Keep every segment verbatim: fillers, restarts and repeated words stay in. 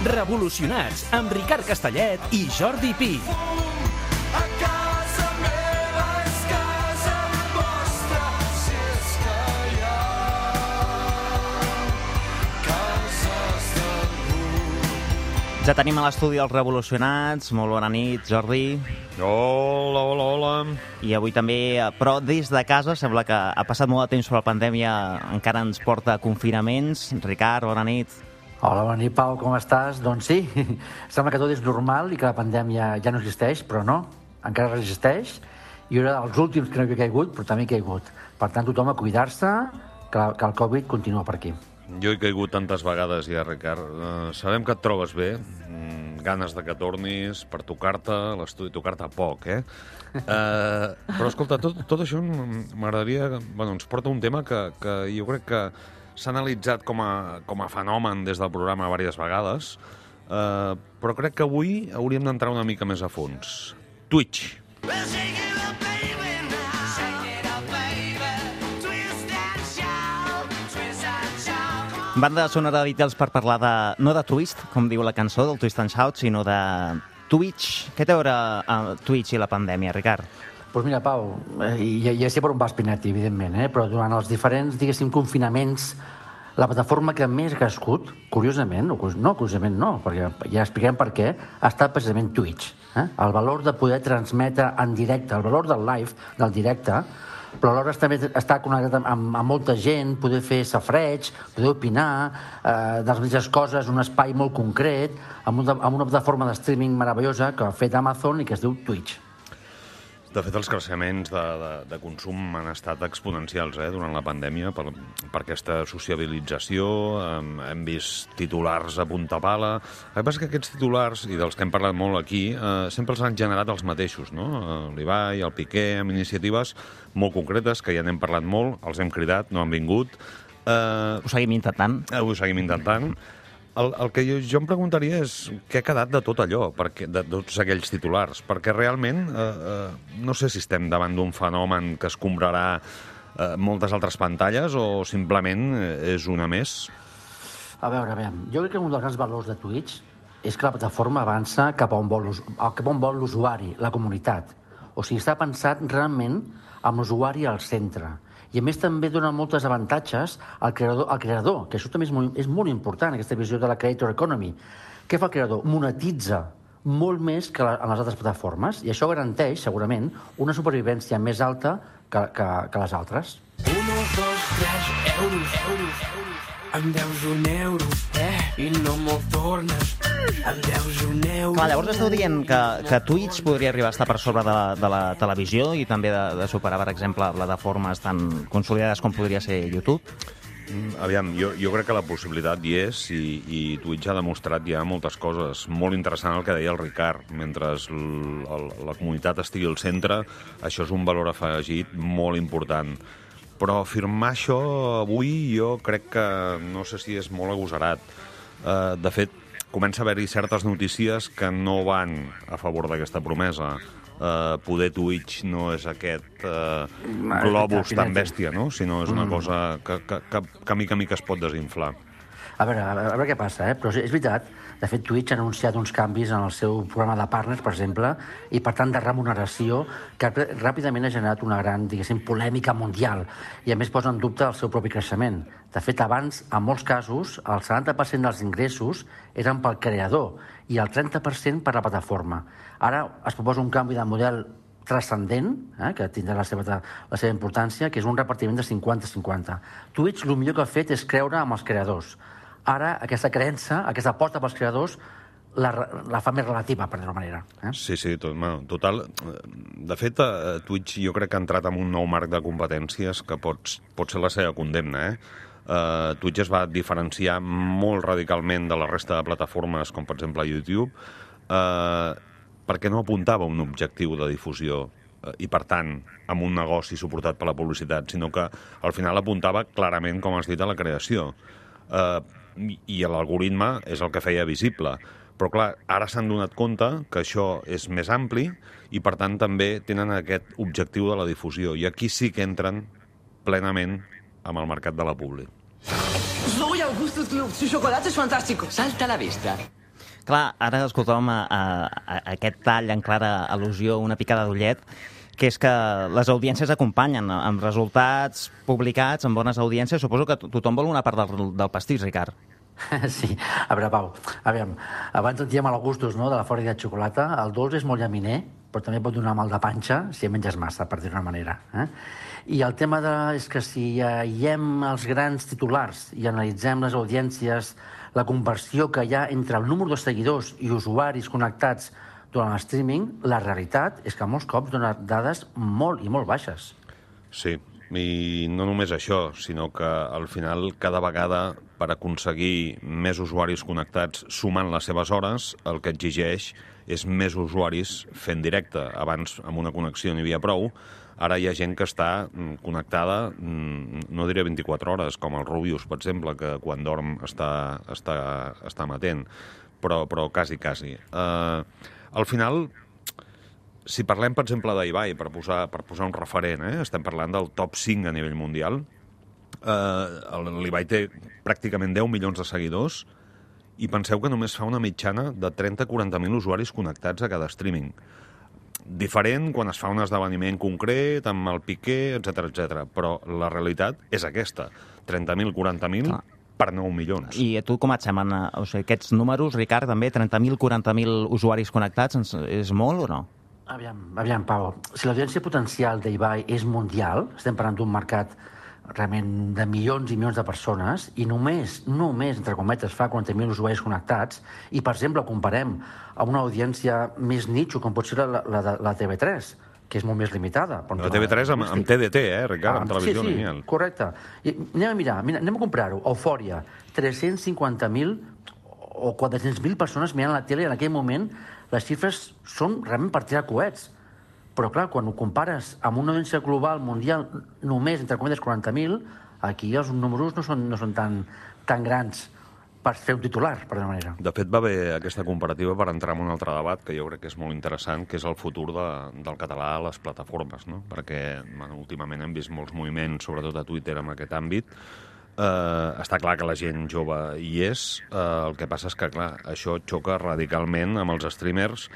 Revolucionats, amb Ricard Castellet i Jordi Pi. A casa meva és casa vostra, si és que hi ha cases d'algú. Ja tenim a l'estudi els Revolucionats. Molt bona nit, Jordi. Hola, hola, hola. I avui també, però des de casa, sembla que ha passat molt de temps sobre la pandèmia, encara ens porta a confinaments. Ricard, bona nit. Hola, bona nit, Pau, com estàs? Doncs sí, sembla que tot és normal i que la pandèmia ja no existeix, però no, encara resisteix. I era dels últims que no havia caigut, però també ha caigut. Per tant, tothom a cuidar-se, que, que el Covid continua per aquí. Jo he caigut tantes vegades ja, Ricard. Uh, sabem que et trobes bé, mm, ganes de que tornis per tocar-te, l'estudi tocar-te poc, eh? Uh, però, escolta, tot, tot això m'agradaria... Bueno, ens porta un tema que, que jo crec que s'ha analitzat com a, com a fenomen des del programa diverses vegades, uh, però crec que avui hauríem d'entrar una mica més a fons. Twitch. Banda sonora de Beatles per parlar de, no de Twist, com diu la cançó, del Twist and Shout, sinó de Twitch. Què té a veure uh, Twitch i la pandèmia, Ricard? Doncs pues mira, Pau, eh, ja, ja sé per on vas, Pinati, evidentment, eh? Però durant els diferents, diguéssim, confinaments, la plataforma que més ha crescut, curiosament, no, curiosament no, perquè ja expliquem per què, ha estat precisament Twitch. Eh? El valor de poder transmetre en directe, el valor del live, del directe, però alhora també està connectat amb, amb molta gent, poder fer safreig, poder opinar, eh, de les mateixes coses, un espai molt concret, amb una, amb una plataforma de streaming meravellosa que ha fet Amazon i que es diu Twitch. De fet, els creixements de, de, de consum han estat exponencials eh, durant la pandèmia per, per aquesta sociabilització. Hem, hem vist titulars a punta pala. El que passa és que aquests titulars, i dels que hem parlat molt aquí, eh, sempre els han generat els mateixos, no? L'Ibai, el Piqué, amb iniciatives molt concretes, que ja n'hem parlat molt, els hem cridat, no han vingut. Eh, Ho seguim intentant. Eh, ho seguim intentant. El, el que jo, jo em preguntaria és què ha quedat de tot allò, perquè, de tots aquells titulars, perquè realment eh, eh, no sé si estem davant d'un fenomen que escombrarà eh, moltes altres pantalles o simplement és una més. A veure, a veure, jo crec que un dels grans valors de Twitch és que la plataforma avança cap a on vol, cap a on vol l'usuari, la comunitat. O sigui, està pensat realment amb l'usuari al centre. I a més també dona molts avantatges al creador, al creador, que això també és molt, és molt important, aquesta visió de la creator economy. Què fa el creador? Monetitza molt més que la, en les altres plataformes, i això garanteix, segurament, una supervivència més alta que, que, que les altres. Un, dos, tres, euros, euros, euros. Em deus un euro, eh? I no me'l tornes. Em deus un euro. Clar, llavors esteu dient que, que Twitch podria arribar a estar per sobre de la, de la televisió i també de, de superar, per exemple, plataformes tan consolidades com podria ser YouTube? Aviam, jo, jo crec que la possibilitat hi és i, i Twitch ha demostrat ja moltes coses. Molt interessant el que deia el Ricard. Mentre el, el, la comunitat estigui al centre, això és un valor afegit molt important. Però afirmar això avui jo crec que no sé si és molt agosarat. Uh, de fet, comença a haver-hi certes notícies que no van a favor d'aquesta promesa. Uh, poder Twitch no és aquest uh, globus tan bèstia, no? Sinó és una cosa que, que, que, que a mica a mica es pot desinflar. A veure, a veure què passa, eh? Però és veritat, de fet, Twitch ha anunciat uns canvis en el seu programa de partners, per exemple, i per tant de remuneració, que ràpidament ha generat una gran, diguéssim, polèmica mundial, i a més posa en dubte el seu propi creixement. De fet, abans, en molts casos, el setanta per cent dels ingressos eren pel creador i el trenta per cent per la plataforma. Ara es proposa un canvi de model transcendent, eh, que tindrà la seva, la seva importància, que és un repartiment de cinquanta cinquanta. Twitch, el millor que ha fet és creure amb els creadors. Ara, aquesta creença, aquesta aposta pels creadors, la, la fa més relativa, per dir-ho manera. Eh? Sí, sí, tot, bueno, total. De fet, Twitch jo crec que ha entrat en un nou marc de competències que pot, pot ser la seva condemna, eh? Uh, Twitch es va diferenciar molt radicalment de la resta de plataformes, com per exemple YouTube, uh, perquè no apuntava un objectiu de difusió uh, i, per tant, amb un negoci suportat per la publicitat, sinó que al final apuntava clarament, com has dit, a la creació. Uh, i l'algoritme és el que feia visible. Però, clar, ara s'han donat compte que això és més ampli i, per tant, també tenen aquest objectiu de la difusió. I aquí sí que entren plenament amb el mercat de la publi. Soy Augustus Gloop, su chocolate es fantástico. Salta a la vista. Clar, ara escoltàvem a, a, a aquest tall en clara al·lusió, una picada d'ullet, que és que les audiències acompanyen amb resultats publicats, amb bones audiències. Suposo que tothom vol una part del, del pastís, Ricard. Sí, a veure, Pau, aviam, abans sentíem els gustos, no?, de la fòrica de xocolata. El dolç és molt llaminer, però també pot donar mal de panxa si en menges massa, per dir-ho d'una manera. Eh? I el tema de, és que si aïllem els grans titulars i analitzem les audiències, la conversió que hi ha entre el número de seguidors i usuaris connectats durant el streaming, la realitat és que molts cops dona dades molt i molt baixes. Sí, i no només això, sinó que al final cada vegada per aconseguir més usuaris connectats sumant les seves hores, el que exigeix és més usuaris fent directe. Abans amb una connexió n'hi havia prou, ara hi ha gent que està connectada, no diré vint-i-quatre hores, com el Rubius, per exemple, que quan dorm està, està, està amatent, però, però quasi, quasi. Uh, al final, si parlem, per exemple, d'Ibai, per posar, per posar un referent, eh? Estem parlant del top cinc a nivell mundial, uh, l'Ibai té pràcticament deu milions de seguidors i penseu que només fa una mitjana de trenta a quaranta mil usuaris connectats a cada streaming. Diferent quan es fa un esdeveniment concret, amb el Piqué, etcètera, etcètera. Però la realitat és aquesta, trenta mil, quaranta mil per nou milions. I a tu com et semblen? O sigui, aquests números, Ricard, també, trenta mil, quaranta mil usuaris connectats, és molt o no? Aviam, aviam, Pau, si l'audiència potencial d'Ibai és mundial, estem parlant d'un mercat realment de milions i milions de persones, i només, només, entre cometes, fa quaranta mil usuaris connectats, i, per exemple, comparem amb una audiència més nicho, com pot ser la, la, la, la T V tres, que és molt més limitada. La T V tres amb, amb T D T, eh, Ricard, ah, amb televisió sí, sí, lineal. Correcte. I anem a mirar, mira, anem a comprar-ho. Eufòria, tres-cents cinquanta mil o quatre-cents mil persones mirant la tele, i en aquell moment les xifres són realment per tirar coets. Però, clar, quan ho compares amb una audiència global, mundial, només, entre cometes, quaranta mil, aquí els números no són, no són tan, tan grans per fer un titular, per d'una manera. De fet, va haver aquesta comparativa per entrar en un altre debat que jo crec que és molt interessant, que és el futur de, del català a les plataformes, no? Perquè bueno, últimament hem vist molts moviments, sobretot a Twitter, en aquest àmbit. Uh, està clar que la gent jove hi és, uh, el que passa és que, clar, això xoca radicalment amb els streamers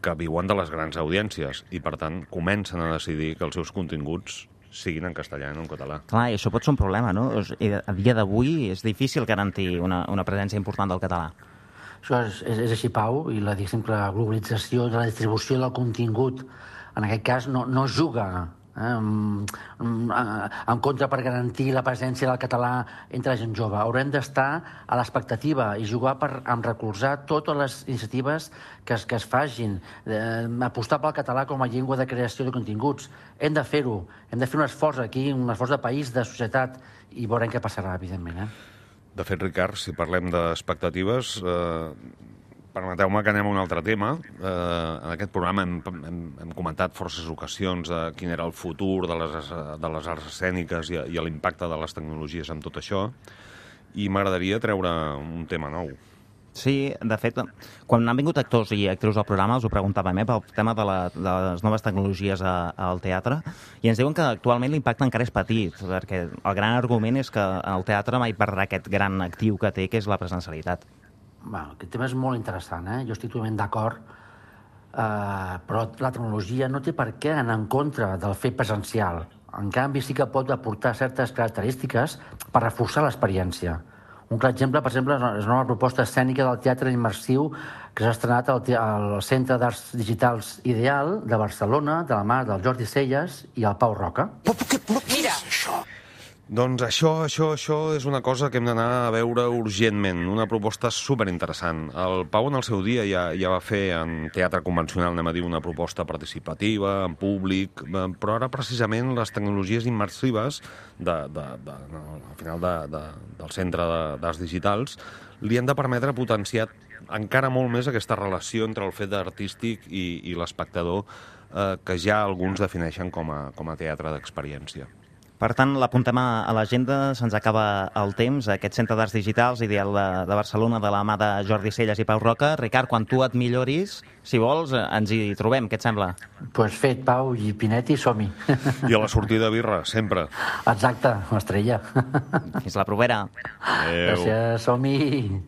que viuen de les grans audiències i, per tant, comencen a decidir que els seus continguts siguin en castellà i no en català. Clar, i això pot ser un problema, no? A dia d'avui és difícil garantir una, una presència important del català. Això és, és, és així, Pau, i la, la globalització de la distribució del contingut, en aquest cas, no, no juga eh, en, en contra per garantir la presència del català entre la gent jove. Haurem d'estar a l'expectativa i jugar per en recolzar totes les iniciatives que es, que es facin, eh, apostar pel català com a llengua de creació de continguts. Hem de fer-ho, hem de fer un esforç aquí, un esforç de país, de societat, i veurem què passarà, evidentment. Eh? De fet, Ricard, si parlem d'expectatives, eh, permeteu-me que anem a un altre tema. Eh, en aquest programa hem, hem, hem comentat forces ocasions de quin era el futur de les, de les arts escèniques i, i l'impacte de les tecnologies en tot això, i m'agradaria treure un tema nou. Sí, de fet, quan han vingut actors i actrius al programa els ho preguntàvem, eh, pel tema de, la, de les noves tecnologies a, al teatre, i ens diuen que actualment l'impacte encara és petit, perquè el gran argument és que el teatre mai perdrà aquest gran actiu que té, que és la presencialitat. Bueno, aquest tema és molt interessant, eh? Jo estic totalment d'acord, eh, però la tecnologia no té per què anar en contra del fet presencial. En canvi, sí que pot aportar certes característiques per reforçar l'experiència. Un clar exemple, per exemple, és una nova proposta escènica del teatre immersiu que s'ha estrenat al, al Centre d'Arts Digitals Ideal de Barcelona, de la mà del Jordi Celles i el Pau Roca. Mira! Doncs això, això, això és una cosa que hem d'anar a veure urgentment, una proposta superinteressant. El Pau en el seu dia ja, ja va fer en teatre convencional, anem a dir, una proposta participativa, en públic, però ara precisament les tecnologies immersives de, de, de, no, al final de, de, del Centre d'Arts Digitals li han de permetre potenciar encara molt més aquesta relació entre el fet artístic i, i l'espectador, eh, que ja alguns defineixen com a, com a teatre d'experiència. Per tant, l'apuntem a l'agenda, se'ns acaba el temps, aquest Centre d'Arts Digitals Ideal de, de Barcelona, de la mà de Jordi Celles i Pau Roca. Ricard, quan tu et milloris, si vols, ens hi trobem, què et sembla? Doncs pues fet, Pau, i Pinetti, som-hi. I a la sortida birra, sempre. Exacte, l'estrella. Fins la propera. Adéu. Gràcies, som-hi.